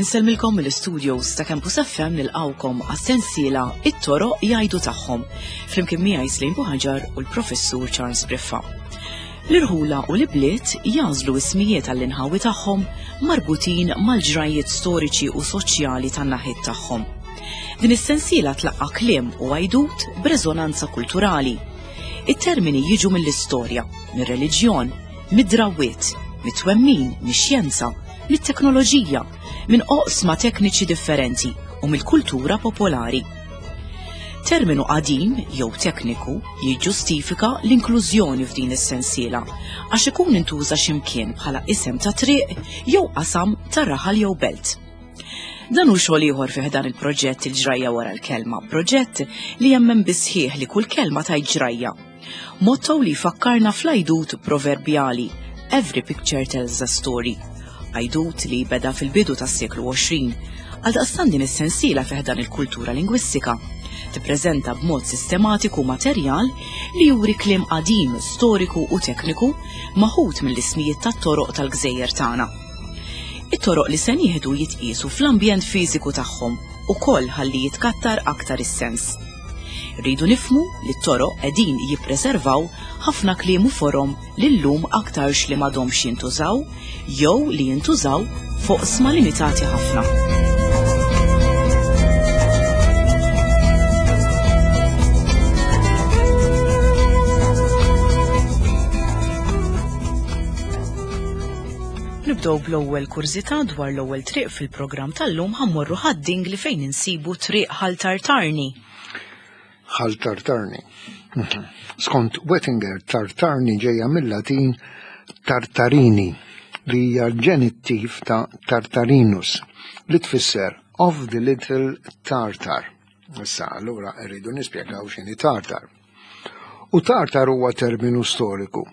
Insellmilkom mill-studios ta' Campus FM nilqawkom għas-sensiela It-toroq jgħidu tagħhom flimkien miegħi Slim Buħaġar u l-Professur Charles Briffa. L-irħula u l-ibliet jagħżlu ismijiet għall-inħawi tagħhom marbutin mal-ġrajjiet storiċi u soċjali tan-naħiet tagħhom. Din is-sensiela tlaqqa' kliem u għajdut b'reżonanza kulturali. It-termini jiġu mill-istorja, mir-reliġjon, mid-drawwiet, mit-twemmin, mix-xjenza, mit-teknoloġija, minn oqsma tekniċi differenti u mill-kultura popolari. Terminu qadim jew tekniku jiġġustifika l-inklużjoni f'din is-sensiela għax ikun intuża x'imkien bħala isem ta' triq jew qasam ta' raħal jew belt. Dan hu xogħol ieħor fi ħdan il-proġett Il-Ġrajja Wara l-Kelma, proġett li jemmen bis-sħiħ li kull kelma tgħid ġrajja. Motto li jfakkarna fl-għajdut proverbjali Every picture tells a story. Għajdut li beda fil-bidu tas-seklu 20. Għaldaqstant din is-sensiela fi ħdan il-kultura lingwistika tippreżenta b'mod sistematiku materjal li juri kliem qadim, storiku u tekniku maħud mill-ismijiet tat-toroq tal-gżejjer tagħna. It-toroq li se nieħdu jitqiesu fl-ambjent fiżiku tagħhom ukoll ħalli jitkattar aktar is-sens. Irridu nifhmu li t-toroq qegħdin jippreservaw ħafna kliem u forom li llum aktarx li m'għadhomx jintużaw jew li jintużaw f'oqsma limitati ħafna. Nibdew bl-ewwel kurżità dwar l-ewwel triq fil-programm tal-lum ħammorru ħad-Dingli fejn insibu triq Ħal Tartarni. Ħal Tartarni. Mhm. Skont Wettinger, Tartarni ġejja mill-Latin Tartarini li hija l-ġenittiv ta' Tartarinus li tfisser of the little Tartar. Issa allura rridu nispjegaw x'inhi Tartar. U Tartar huwa terminu storiku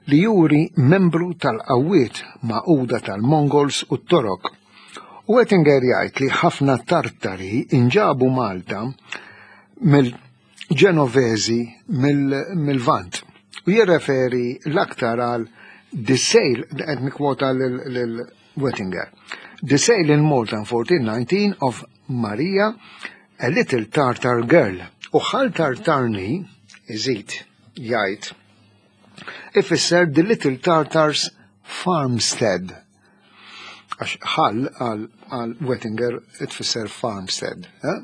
li juri membru tal-qawwiet magħquda tal-Mongols u t-Torok. U Ettinger jgħid li ħafna Tartari inġabu Malta mill-Ġenovesi mill-Lvant u jirreferi l-aktar għal the sale, qed nikkwota lil Wettinger, the sale in Malta in 1419 of Maria, a little Tartar girl. U Ħal Tartarni, iżid jgħid, ifisser the little Tartar's farmstead. Għax ħal għal Wettinger tfisser farmstead, eh?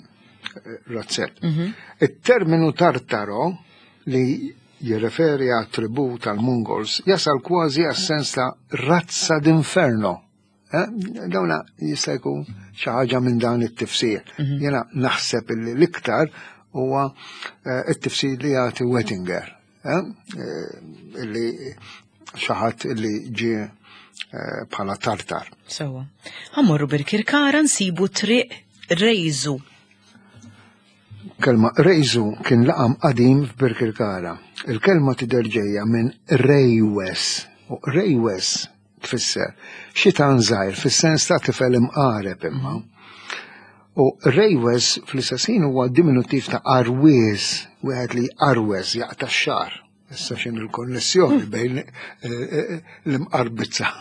razzett. Mhm. Il-terminu Tartaro li jirreferi għat tribù tal-Mongols jasal kważi għas-sens ta' razza d'inferno. Eh, dawna jista' jkun xi ħaġa minn dan it-tifsir. Mhm. Jiena naħseb illi l-iktar huwa eh, it-tifsir li jagħti Wettinger. Eh, illi xi ħadd illi ġie bħala tartar. Sewa. Ħammorru Birkirkara nsibu triq Rejżu. Kelma Rejżu kien laqam qadim f'Birkirkara. Il-kelma tidher ġejja minn Rejwes. U Rejwes tfisser xitan żgħir fis-sens ta' tifel imqareb imma. U rejwes fl-istess ħin huwa diminuttiv ta' arwies, wieħed li arwes jaqta' x-xagħar. Issa x'in il-konnessjoni bejn eh, eh, l-imqarbizza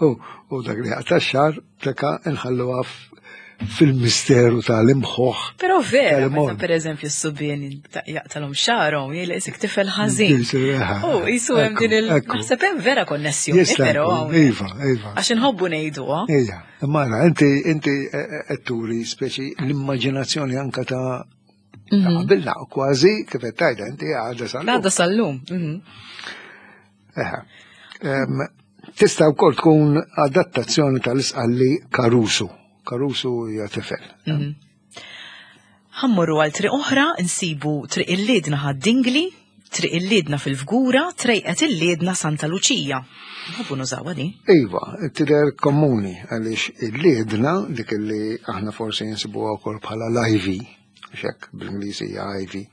u dak li jaqta' x-xagħar Teka nħalluha fil-misteru tal-imħuħ. Pero vera, meta per eżempju s-subien jaqtalhom xarhom, jgħid isek tifel ħażin. U jisu hemm din il naħseb hemm vera konnessjoni, però. Iva, iva. Għax inħobbu ngħiduha. Ija, imma inti inti eh, eh, qed turi speċi l-immaġinazzjoni anka ta' mhm. qabilna kważi kif qed tgħidha inti għadha sal-lum. Għadha sal-lum. Mhm. Tista' wkoll tkun adattazzjoni tal-isqalli Caruso. Caruso hija tifel. Mhm. Ħammorru għal triq oħra nsibu triq il-Liedna ħad-Dingli, triq il-Liedna fil-Fgura, trejqet il-Liedna Santa Luċija. Nħobbu nużawha din. Iva, tidher komuni għaliex il-Liedna dik li aħna forsi nsibuha wkoll bħala l-ivy, xek bl-Ingliż hija ivy.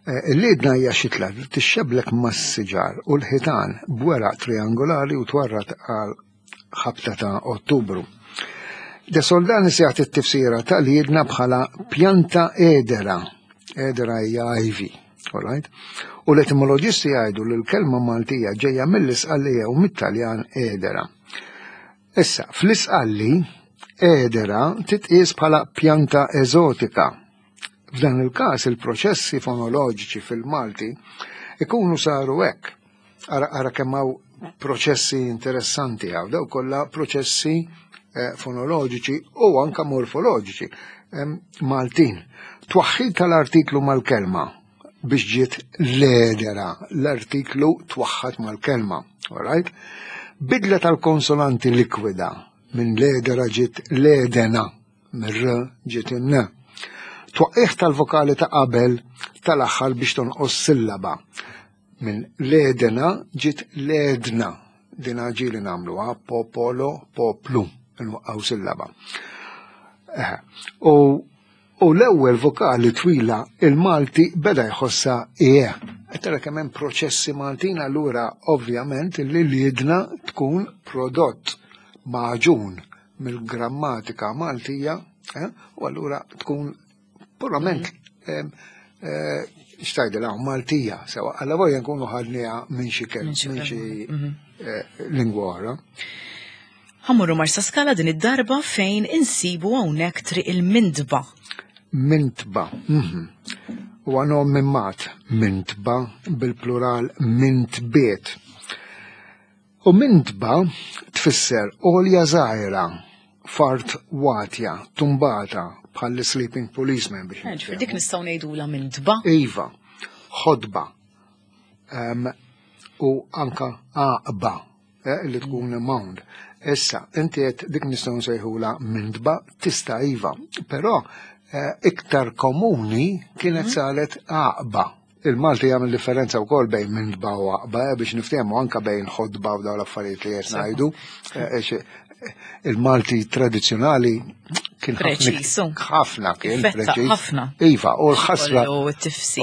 Eh, il-liedna hija xitla li tixxeblek mas-siġar u l-ħitan b'weraq triangolari u twarrat għal ħabta ta' Ottubru. De Soldanis jagħti t-tifsira ta' liedna bħala pjanta edera. Edera hija ivy. All right? U l-etimoloġisti jgħidu li l-kelma Maltija ġejja mill-Isqallija u mit-Taljan edera. Issa, fl-Isqalli, edera titqies bħala pjanta eżotika. F'dan il-każ il-proċessi fonoloġiċi fil-Malti ikunu saru hekk. Ara, ara kemm hawn proċessi interessanti hawn, daw kollha proċessi eh, fonoloġiċi u anka morfoloġiċi Maltin. Twaħħid tal-artiklu mal-kelma biex ġiet l-edera, l-artiklu twaħħad mal-kelma, alright? Bidla tal-konsonanti likwida minn l-edera ġiet l-edena, mir-r ġiet in-n. Twaqqih tal-vokali ta' qabel tal-aħħar biex tonqos sillaba. Minn l-edena ġiet l-edna, din ġieli nagħmluha popolo, poplu, nwaqqgħu sillaba. U U l-ewwel vokali twila il-Malti beda jħossha ie. Qed tara kemm hemm proċessi Maltin allura ovvjament li l-idna tkun prodott magħġun mill-grammatika Maltija eh, u allura tkun purament mm. eh, xtajdilha Maltija, sewa alla volja nkunu ħadniha minn xi kelma, minn xi mhm. eh, lingwa oħra. Ħa mmorru Marsaskala din id-darba fejn insibu hawnhekk Triq il-Mintba. Mintba. Mhm. Huwa nom minn mat, mintba bil-plural mintbiet. U mintba tfisser għolja żgħira, fart watja, tumbata, bħal sleeping policeman biex. Eh, dik nistgħu ngħidula mintba. Iva, ħodba. U anka għaqba. Eh, li tkun mound. Issa, inti qed dik nistgħu nsejħula mindba, tista' iva, però eh, iktar komuni kienet mhm. saret għaqba. Il-Malti jagħmel differenza wkoll bejn mindba u għaqba eh, biex niftehmu anka bejn ħodba u dawn l-affarijiet li qed ngħidu. Il-Malti tradizzjonali kien ħafna kien preċiż. Ħafna. Iva, u l-ħasra. U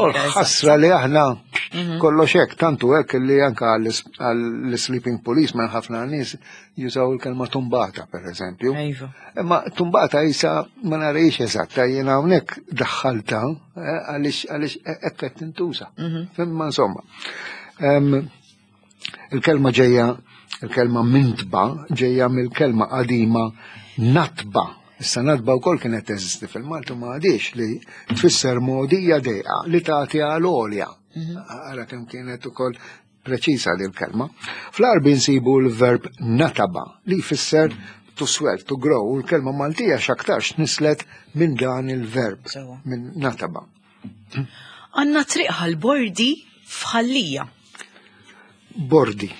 l-ħasra li aħna mhm. kollox hekk, tantu hekk li anka għall-sleeping policeman ħafna nies jużaw il-kelma tumbata, per eżempju. Iva. Imma tumbata jisa ma narejx eżatta, jiena hawnhekk daħħalta eh, għaliex għaliex hekk qed tintuża. Mhm. Imma insomma. Il-kelma ġejja, il-kelma mintba ġejja mill-kelma qadima natba. Issa natba wkoll kienet teżisti fil-Malti ma għadix li tfisser mogħdija dejqa li tagħti għal għolja. Mhm. Ara kemm kienet ukoll preċisa li l-kelma. Fl-Arbi nsibu l-verb nataba li jfisser to swell, to grow, u l-kelma Maltija x'aktarx nislet minn dan il-verb, minn nataba. Għanna triq ħal-bordi f'Ħallija. Bordi.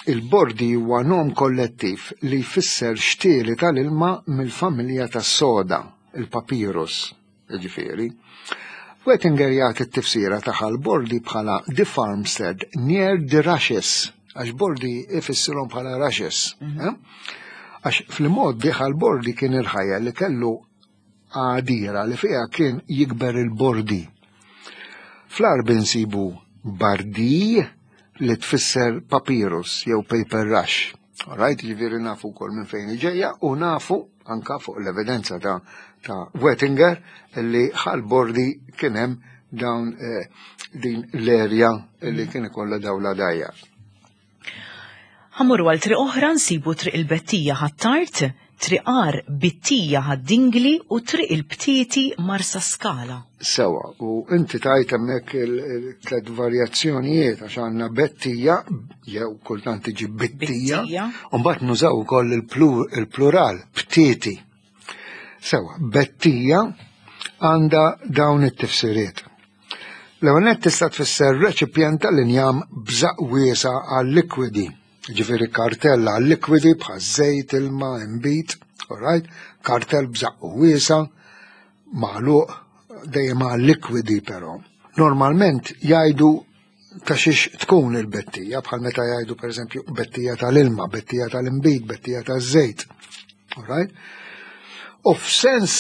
Il-bordi huwa nom kollettiv li jfisser xtieli tal-ilma mill-familja tas-soda, il-papyrus, jiġifieri. Wettinger jagħti t-tifsira ta' ħal-bordi bħala the farmstead near the rushes, għax bordi ifissirhom bħala rushes. Mhm. Eh? Għax fl-modi ħal-bordi kien il-ħajja li kellu għadira li fiha kien jikber il-bordi. Fl-Għarbi nsibu bardi li tfisser papyrus jew paper rush. Alright, ġifieri nafu wkoll minn fejn ġejja u nafu anka fuq l-evidenza ta', ta Wettinger li ħal bordi kien hemm dawn eh, din l-erja li kien ikollha dawla dajja. Ħa mmorru għal triq oħra nsibu Triq il-Bettija Ħ'Attard, Triq Għar Bittija Ħad-Dingli u Triq il-Btieti Marsaskala. Sewa, u inti tajt hemmhekk il-tlet varjazzjonijiet għax għandna Bettija jew kultant tiġi Bittija, u mbagħad nużaw ukoll il-plural Btieti. Sewa, Bettija għandha dawn it-tifsiriet. L-ewwel nett tista' tfisser reċipjent tal-injam b'żaqq wiesa' għal-likwidi, ġifieri kartell għal-likwidi bħal żejt, ilma, inbid, alright? Kartell b'żaqq wiesa' magħluq dejjem għal-likwidi però. Normalment jgħidu ta' xiex tkun il-bettija, bħal meta jgħidu pereżempju bettija tal-ilma, bettija tal-inbid, bettija taż-żejt. Alright? U f'sens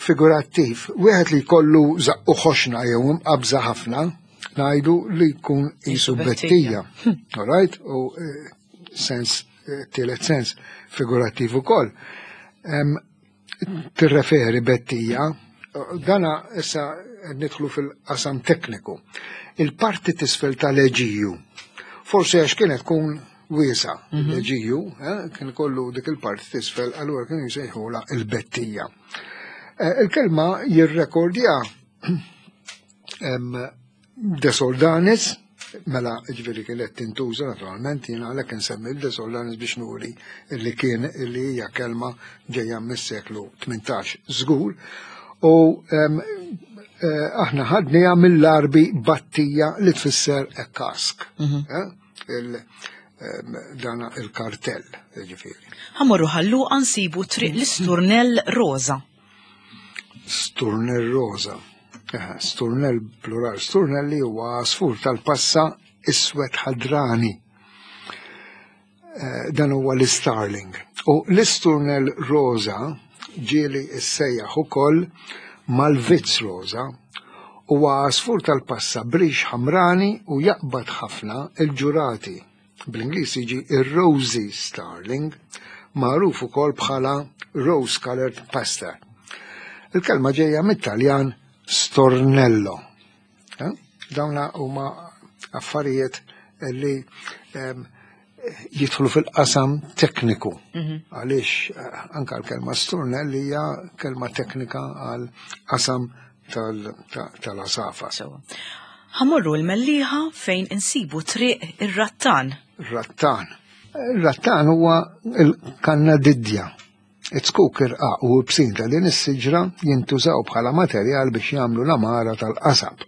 figurattiv, wieħed li jkollu zaqqu ħoxna jew imqabża ħafna, ngħidu li jkun qisu bettija. Alright? U eh, sens, eh, tielet sens figurattiv ukoll. Tirreferi bettija Dana issa nidħlu fil-qasam tekniku. Il-parti tisfel tal-eġiju, forsi għax kienet tkun wiesa mhm. l-eġiju, eh, kien kollu dik il-parti tisfel, allura kienu jsejħula il-bettija. Eh, il-kelma jirrekordja De Soldanis, mela ġveri kienet tintuża naturalment, jiena għalhekk insemmi De Soldanis biex nuri li kien li hija kelma ġejja mis-seklu 18 żgur. U eh, aħna ħadniha mill-Arbi battija li tfisser kask. Mhm. Eh, dana il-kartell, ġifieri. Ħamorru ħallu nsibu triq l-isturnell rosa. Sturnell rosa. Sturnell plural, sturnelli huwa għasfur tal-passa iswed ħadrani. Eh, dan huwa l-starling. U l-isturnell rosa ġieli issejjaħ ukoll mal-vizz rosa huwa għasfur tal-passa brix ħamrani u jaqbad ħafna il-ġurati. Bl-Ingliż jiġi ir-Rosy Starling, magħruf ukoll bħala Rose Colored Pastor. Il-kelma ġejja mit-Taljan stornello. Eh? Dawna huma affarijiet li ehm, jidħlu fil-qasam tekniku. Mhm. Għaliex eh, anka l-kelma stornell hija kelma teknika għal qasam tal-asafa. Ħamorru l-Mellieħa fejn insibu triq ir-Rattan. Rattan. Ir-rattan huwa l-kannadidja. It-zkuk irqaq u ibsin ta' din is-siġra jintużaw bħala materjal biex jagħmlu l-għamara tal-qasab.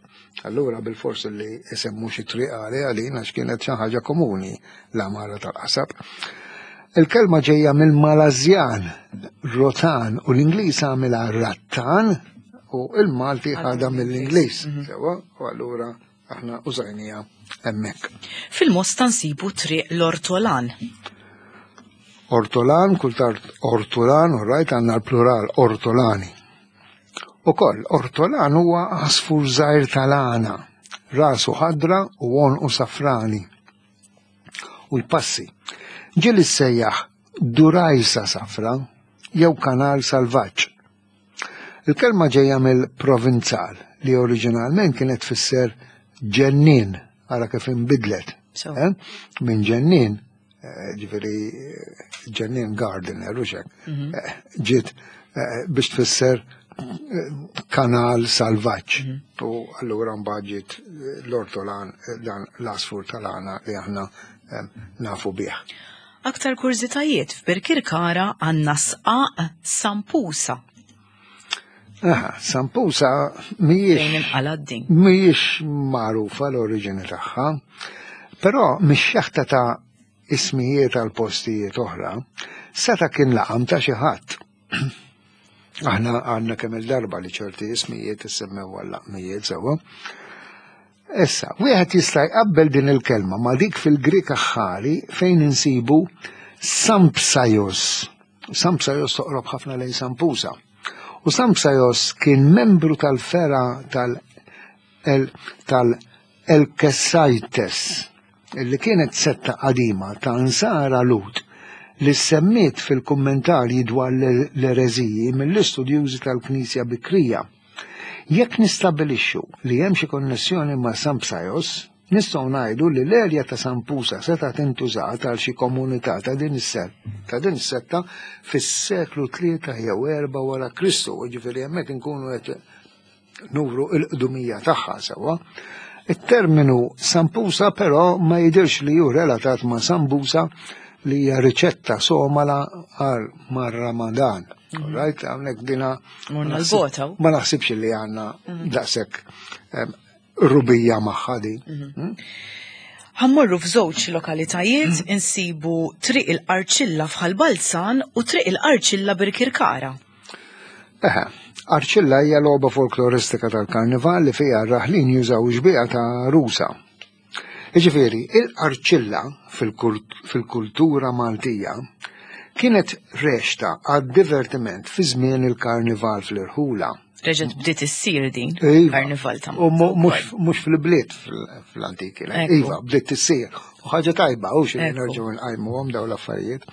Allura bilfors li isemmu xi triq għaliha din għax kienet xi ħaġa komuni l-għamara tal-qasab. Il-kelma ġejja mill-Malażjan rotan u l-Ingliż għamilha rattan u il-Malti ħadha mill-Ingliż. Mhm. Sewa, u allura aħna użajnija hemmhekk. Fil-Mosta nsibu triq l-Ortolan. Ortolan, kultant ortolan, u rajt għandna l-plural ortolani. Ukoll, ortolan huwa għasfur żgħir tal-għana, rasu ħadra u għonqu safrani. U l-passi. Ġieli ssejjaħ durajsa safra jew kanal salvaġġ. Il-kelma ġejja mill-Provinzal li oriġinalment kienet tfisser ġennien, ara kif inbidlet. Eh? Minn ġennien, eh, ġifieri eh, ġennien gardener u xek, mhm. ġiet biex tfisser kanal salvaġġ. Mhm. U allura mbagħad ġiet l-ortolan dan l-asfur tal-għana li aħna nafu bih. Aktar kurżitajiet f'Birkirkara għandna sqaq Sampusa. Aha, Sampusa mhijiex mhijiex magħrufa l-oriġini tagħha, però mix-xeħta ta' ismijiet għal postijiet oħra, seta' kien laqam ta' xi ħadd. Aħna għandna kemm il-darba li ċerti ismijiet issemmew għal laqmijiet sewwa. Issa, wieħed jista' jqabbel din il-kelma ma' dik fil-Grieg aħħari fejn insibu Sampsaios. Sampsaios toqrob ħafna lejn Sampusa. U Sampsaios kien membru tal-fera tal-Elkesaites, li kienet setta qadima ta' Nsara Lhud li ssemmiet fil-kummentarji dwar l-ereżiji mill-istudjużi tal-Knisja Bikrija. Jekk nistabbilixxu li hemm xi konnessjoni ma' San Psajos, nistgħu ngħidu li l-erja ta' San Pusa setgħet intużat għal xi komunità ta' din ta' din is-setta fis-seklu 3 jew 4 wara Kristu, jiġifieri hemmhekk inkunu qed nuru l-qdumija tagħha sewwa. It-terminu Sampusa però ma jidhirx li hu relatat ma' sambusa li hija riċetta somala għal mar-Ramadan. Mhm. Right, hawnhekk dina ma naħsibx li għandna mhm. daqshekk rubija magħha din. Mhm. Hmm? Ħammorru f'żewġ lokalitajiet insibu Triq il-Qarċilla f'Ħal Balzan u Triq il-Qarċilla Birkirkara. Eħe, Arċilla hija logħba folkloristika tal-karnival li fiha r-raħlin jużaw xbieha ta' rusa. Jiġifieri, il-qarċilla fil-kultura Maltija kienet rexta għad-divertiment fi żmien il-karnival fl-irħula. Reġgħet bdiet issir din iva. karnival ta' U mhux fil-bliet fl-antik kienet. Iva, bdiet issir. U ħaġa tajba, u xi nerġgħu nqajmuhom dawn l-affarijiet.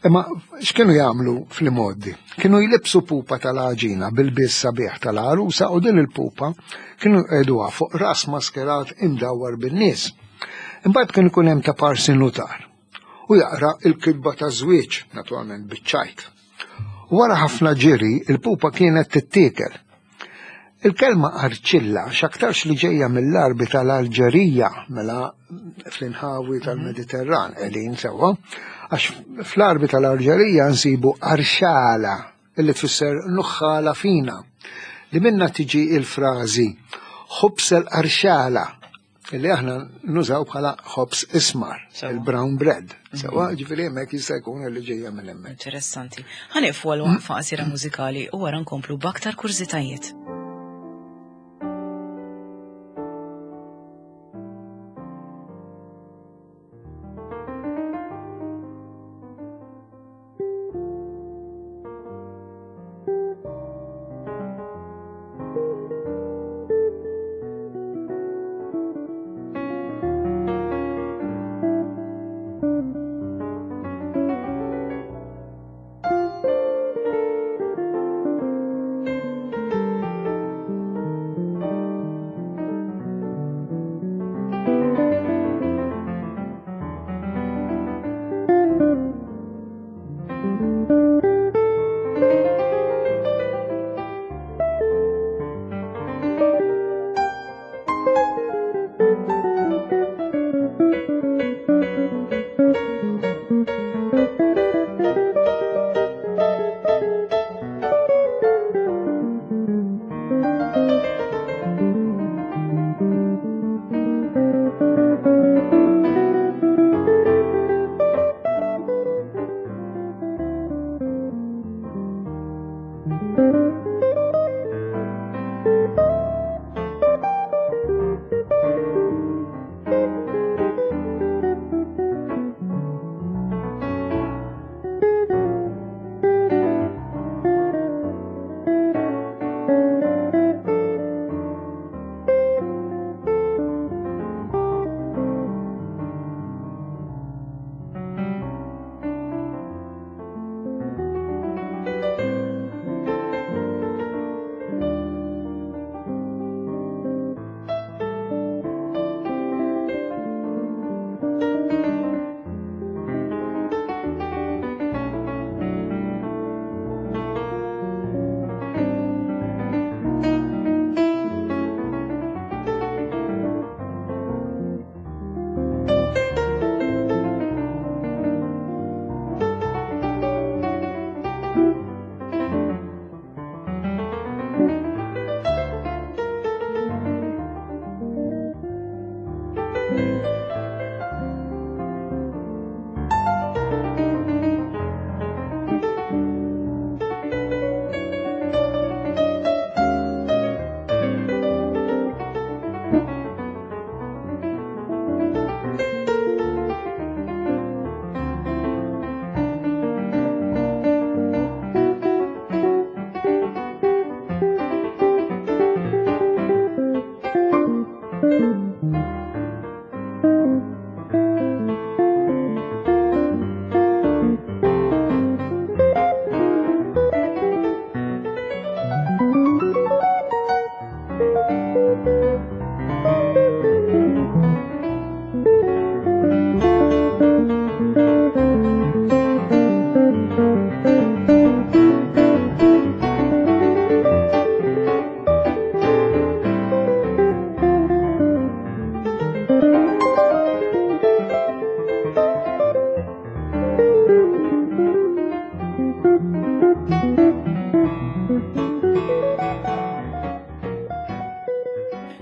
Imma x'kienu jagħmlu fl-imgħoddi? Kienu jlibsu pupa tal-għaġina bil-biss sabiħ tal-għarusa u din il-pupa kienu jqegħduha fuq ras maskerat imdawwar bin-nies. Imbagħad kien ikun hemm ta' parsi nutar u jaqra il-kitba ta' żwieġ, naturalment biċ-ċajt. Wara ħafna ġiri, il-pupa kienet tittiekel. Il-kelma arċilla x'aktarx li ġejja mill-Għarbi tal-Alġerija, mela fl-inħawi mhm. tal-Mediterran qegħdin sewwa, għax fl-Għarbi tal-Alġerija nsibu arxala illi tfisser nuħħala fina li minna tiġi il-frażi ħubs el-arxala Illi aħna nużaw bħala ħobs ismar, il-brown bread. Mhm. Sewa, ġifieri hemmhekk jista' jkun li ġejja minn hemmhekk. Interessanti. Ħanieqfu għal waqfa qasira mużikali u wara nkomplu b'aktar kurżitajiet.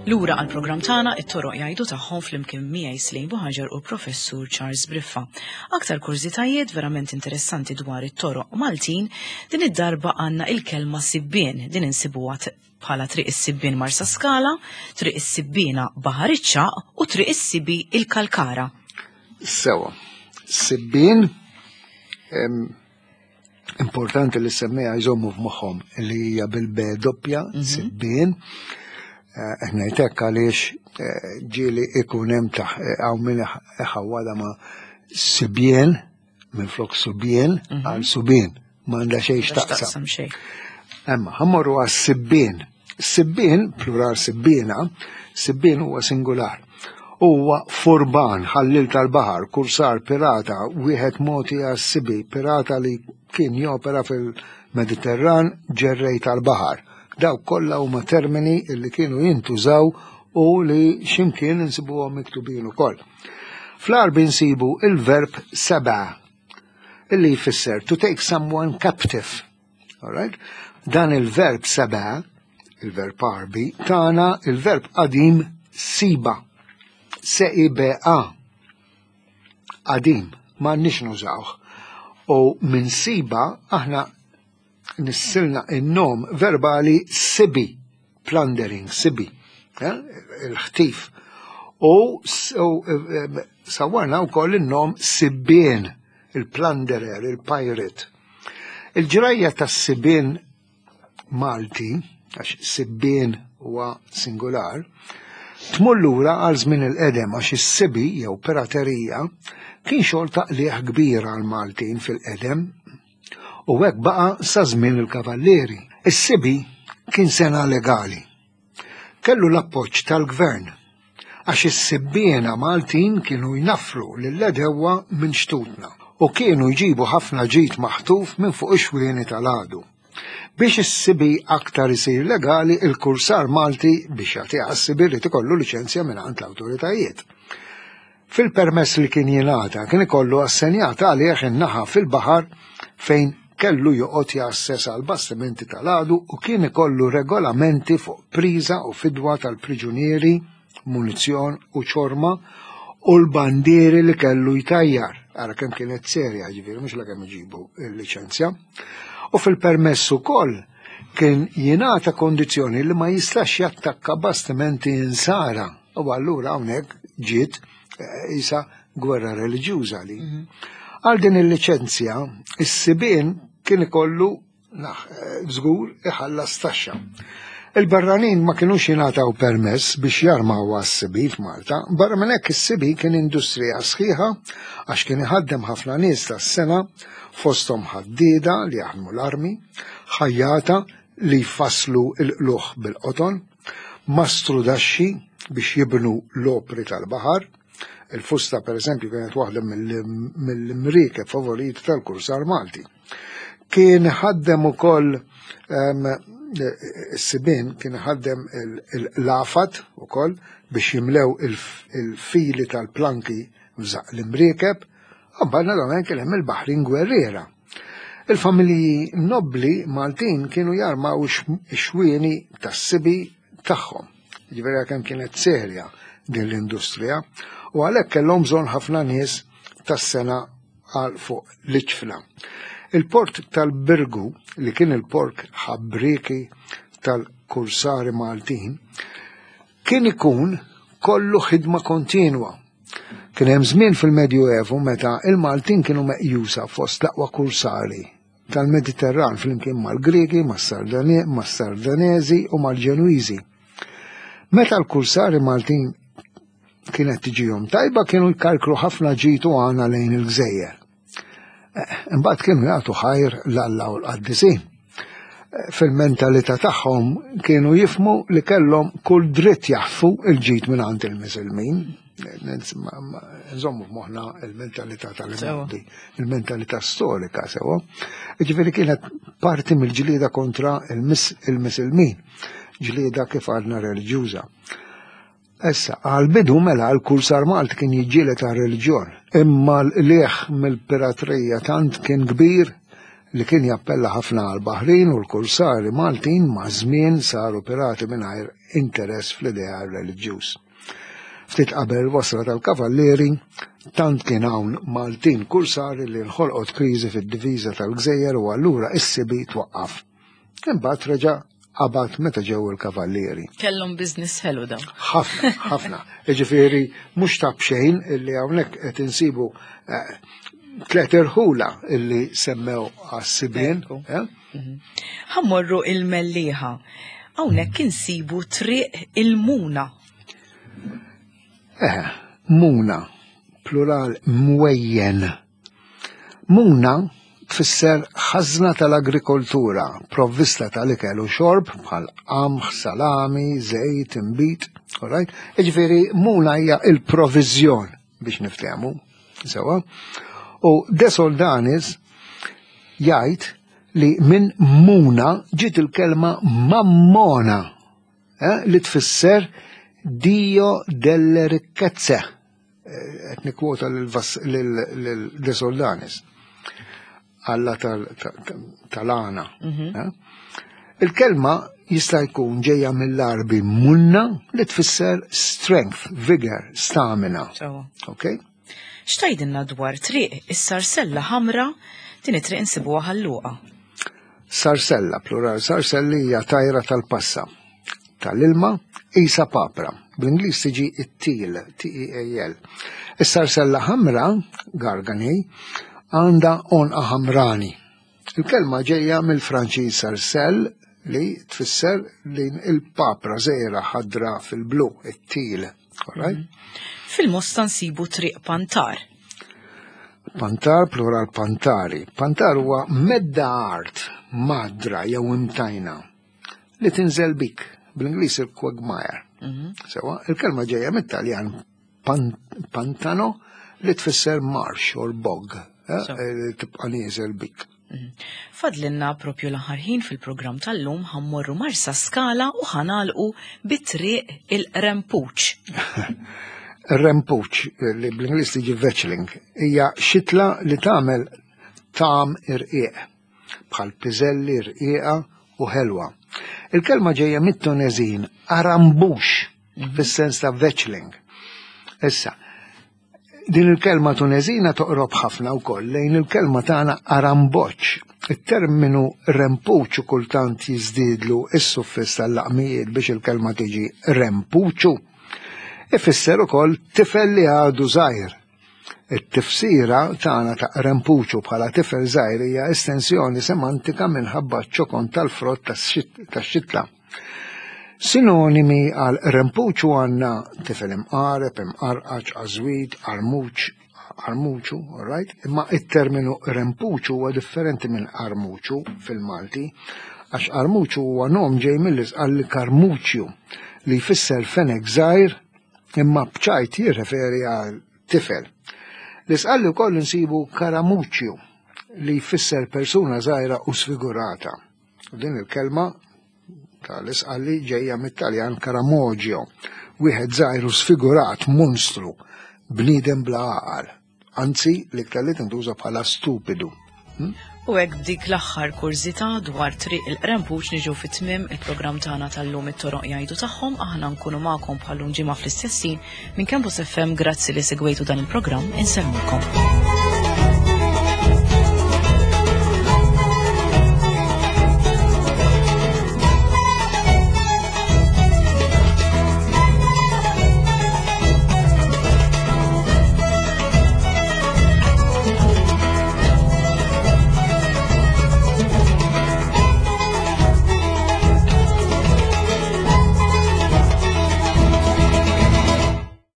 Lura għal programm tagħna it-toroq jgħidu tagħhom flimkien miegħi Slejn Buħaġar u Professur Charles Briffa. Aktar kurżitajiet verament interessanti dwar it-toroq Maltin, din id-darba għandna il-kelma sibbien, din insibuha bħala Triq is-Sibbien Marsaskala, Triq is-Sibbiena Baħar iċ-Ċagħaq u Triq is-Sibi il-Kalkara. Sewa. Sibbien importanti li semmija jżommu f'moħħhom li hija bil-B doppja, mhm. sibbien. Eh, ngħidlek għaliex eh, ġieli ikun hemm taħ eh, hawn min iħawwada ma' sibjien. minn flok subien mhm. għal subien m'għandha xejn x'taqsam. Emma, ħammorru għas sibbien. Sibbien, plural sibbiena, sibbien huwa singular. Huwa furban, ħallil tal-baħar, kursar, pirata, wieħed moti għas-sibi, pirata li kien jopera fil-Mediterran, ġerrej tal-baħar. Dawk kollha huma termini li kienu jintużaw u li ximkien insibuhom miktubin ukoll. Fl-Għarbi nsibu il-verb seba' illi jfisser to take someone captive. Alright? Dan il-verb seba', il-verb Għarbi, tana il-verb qadim siba. S-I-B-A. Qadim, ma nix nużawh. U minn siba aħna nissilna in-nom verbali sibi, plundering, sibi, eh, il-ħtif. U eh, sawarna wkoll in-nom sibbien, il-plunderer, il-pirate. Il-ġrajja tas-sibien Malti, għax sibbien huwa singular, tmur lura għal żmien il-qedem għax is-sibi jew piraterija kien xogħol ta' qligħ kbir għal Maltin fil-qedem U hekk baqa' sa żmien il-Kavallieri. Is-sibi kien sena legali. Kellu l-appoġġ tal-gvern għax is-sibbiena Maltin kienu jnaffru lill-għedewwa minn xtutna u kienu jġibu ħafna ġid maħtuf minn fuq ix-xwieni tal-għadu. Biex is-sibi aktar isir legali, il-kursar Malti biex jagħtiha s-sibi rid ikollu liċenzja mingħand l-awtoritajiet. Fil-permess li kien jingħata kien ikollu assenjat għalih in-naħa fil-baħar fejn kellu joqgħod jgħasses għal bastimenti tal-għadu u kien ikollu regolamenti fuq priża u fidwa tal-priġunieri, munizzjon u ċorma u l-bandieri li kellu jtajjar. Ara kemm kienet serja, ġifieri mhux la kemm iġibu l-liċenzja. U fil-permess ukoll kien jingħata kondizzjoni li ma jistax jattakka bastimenti insara. U allura hawnhekk ġiet eh, isa gwerra reliġjuża li. Mhm. Għal din il-liċenzja, is-sibien kien ikollu eh, żgur iħallas taxxa. Il-barranin ma kinux jingħataw permess biex jarmaw għas-sibi f'Malta, barra minn hekk is-sibi kien industrija sħiħa għax kien iħaddem ħafna nies tas-sena fosthom ħaddieda li jaħdmu l-armi, ħajjata li jfasslu l-qlugħ bil-qoton, mastrudaxxi biex jibnu l-opri tal-baħar, il-fusta per eżempju kienet waħda mill-imriekeb favoriti tal-kursar Malti. Kien ħaddem ukoll ehm, is-sibin kien ħaddem l-afat ukoll biex jimlew il-fili tal-planki f'żaq l-imriekeb, u mbagħad naturalment kien hemm il-baħrin gwerriera. Il-familji nobbli Maltin kienu jarmaw ix-xwieni tas-sibi tagħhom. Ġifieri kemm kienet serja din l-industrija u għalhekk kellhom bżonn ħafna nies tas-sena għal fuq l-iċfna. Il-port tal-Birgu li kien il-port ħabbrieki tal-kursari Maltin kien ikun kollu ħidma kontinwa Kien hemm żmien fil-Medjuevu meta il-Maltin kienu meqjusa fost l-aqwa kursari tal-Mediterran flimkien mal-Griegi, mas-Sardanezi u mal-Ġenwiżi. Meta l-kursari Maltin kienet tiġihom tajba kienu jkarkru ħafna ġid u għana lejn il-gżejjer. Eh, imbagħad kienu jagħtu ħajr l-Alla u l-qaddisin. Eh, fil-mentalità tagħhom kienu jifmu li kellhom kull dritt jaħfu il-ġid minn għand il-misilmin. Nżommu f'moħħna il-mentalità tal-imgħoddi, il-mentalità storika sewa. Ġifieri kienet parti mill-ġlieda kontra il-misilmin, ġlieda kif għadna reliġjuża. Issa, għall-bidu mela l-kursar Malti kien jiġġieled għar-reliġjon, imma l-qligħ mill-piratrija tant kien kbir li kien jappella ħafna għall-baħrin u l-kursari Maltin maż-żmien saru pirati mingħajr interess fl-ideal reliġjuż. Ftit qabel il-wasla tal-Kavallieri, tant kien hawn Maltin kursari li nħolqot kriżi fid-diviża tal-gżejjer u allura is-sibi twaqqaf. Imbagħad reġa' qabad meta ġew il-kavallieri. Kellhom business ħelu dawn. Ħafna, ħafna. Jiġifieri mhux ta' b'xejn illi hawnhekk qed insibu eh, tliet irħula illi semmew għas-sibien. Eh? Mhm. Ħammorru il-Mellieħa. Hawnhekk insibu triq il-Muna. Eh, muna, plural mwejjen. Muna tfisser ħażna tal-agrikoltura, provvista tal-ikel u xorb bħal qamħ, salami, żejt, inbid, alright? Jiġifieri muna hija il-proviżjon biex niftehmu, sewa. U De Soldanis jgħid li minn muna ġiet il-kelma mammona, eh, li tfisser Dio delle ricchezze. Eh, qed nikkwota lil De Soldanis. Alla tal-għana. Mhm. Eh? Il-kelma jista' jkun ġejja mill-Arbi munna li tfisser strength, vigor, stamina. Ok? X'tgħidilna dwar triq is-Sarsella Ħamra din it-triq insibuha ħalluqa? Sarsella, plural, sarselli hija tajra tal-passa. Tal-ilma, isa papra. Bl-Ingliż tiġi it-teal, T-E-A-L. Is-sarsella ħamra, gargani, għandha għonqa ħamrani. Il-kelma ġejja mill-Franċiż sarcelle li tfisser din il-papra żgħira ħadra fil-blu, it-teal. Right? Mhm. Fil-Mosta nsibu triq Pantar. Pantar, plural pantari. Pantar huwa medda art madra jew imtajna li tinżel bik, bl-Ingliż il-quagmire. Mhm. Sewa, il-kelma ġejja mit-Taljan pantano li tfisser marsh or bog, eh, eh, tibqa' nieżel bik. Mhm. Fadlinna propju l-aħħar ħin fil-programm tal-lum ħammorru Marsa Skala u ħanalqu bit-triq il-Rempuċ. Rempuċ, li bl-Ingliż tiġi vetchling, hija xitla li tagħmel tam irqiq. bħal piżelli rqiqa u ħelwa. Il-kelma ġejja mit-Tuneżin arambux mhm. fis-sens ta' vetchling. Issa, din il-kelma Tuneżina toqrob ħafna wkoll lejn il-kelma tagħna aramboċ. Il-terminu rempuċu kultant jiżdiedlu is-suffiss tal-laqmijiet biex il-kelma tiġi rempuċu. Ifisser ukoll tifel li għadu żgħir. It-tifsira tagħna ta' qrempuċu bħala tifel żgħir hija estensjoni semantika minħabba ċ-ċokon tal-frott tax-xitla. Sinonimi għal qrempuċu għandna tifel imqareb, imqarqaċ, għażwid, qarmuċ, qarmuċu, right? Imma it-terminu qrempuċu huwa differenti minn qarmuċu fil-Malti, għax qarmuċu huwa nom ġej mill-isqalli karmuċju li jfisser fenek żgħir imma b'ċajt jirreferi għal tifel. L-isqalli wkoll insibu karamuċju li jfisser persuna żgħira u sfigurata. U din il-kelma tal-isqalli ġejja mit-Taljan karamoġio, wieħed żgħir u sfigurat, monstru, bniedem bla għaqal. Anzi, l-iktar li tintuża bħala stupidu. Hmm? U hekk b'dik l-aħħar kurżità dwar triq il-Qrempuċ niġu fi tmiem il-programm tagħna tal-lum it-toroq jgħidu tagħhom aħna nkunu magħkom bħallum ġimgħa fl-istess ħin minn Campus FM grazzi li segwejtu dan il-programm insellmukom.